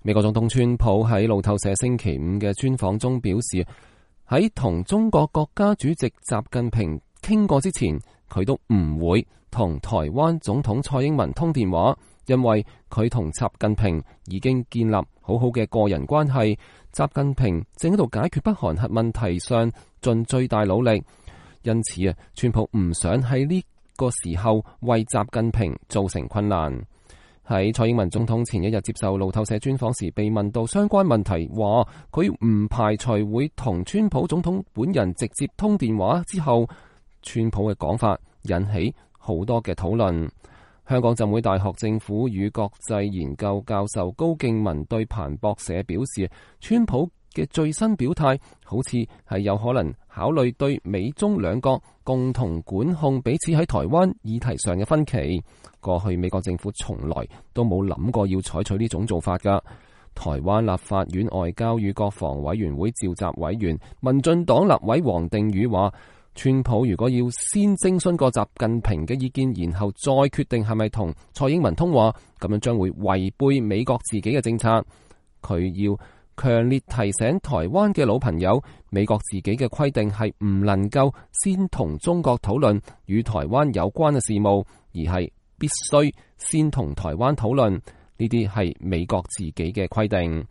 美國總統川普喺路透社星期五嘅專訪中表示，喺同中國國家主席習近平傾過之前，佢都唔會同台灣總統蔡英文通電話，因為佢同習近平已經建立好好嘅個人關係。習近平正喺度解決北韓核問題上盡最大努力，因此川普唔想喺呢個時候為習近平造成困難。喺蔡英文總統前一日接受路透社專訪時，被問到相關問題，話佢唔排除會同川普總統本人直接通電話之後，川普嘅講法引起好多嘅討論。香港浸會大學政府與國際研究教授高敬文對彭博社表示，川普嘅最新表態好似係有可能考慮對美中兩國共同管控彼此喺台灣議題上嘅分歧。過去美國政府從來都冇諗過要採取呢種做法㗎。台灣立法院外交與國防委員會召集委員民進黨立委黃定宇話，川普如果要先徵詢過習近平嘅意見，然後再決定係咪同蔡英文通話，咁樣將會違背美國自己嘅政策。佢要強烈提醒台灣嘅老朋友，美國自己嘅規定係唔能夠先同中國討論與台灣有關嘅事務，而係必須先同台灣討論，呢啲係美國自己嘅規定。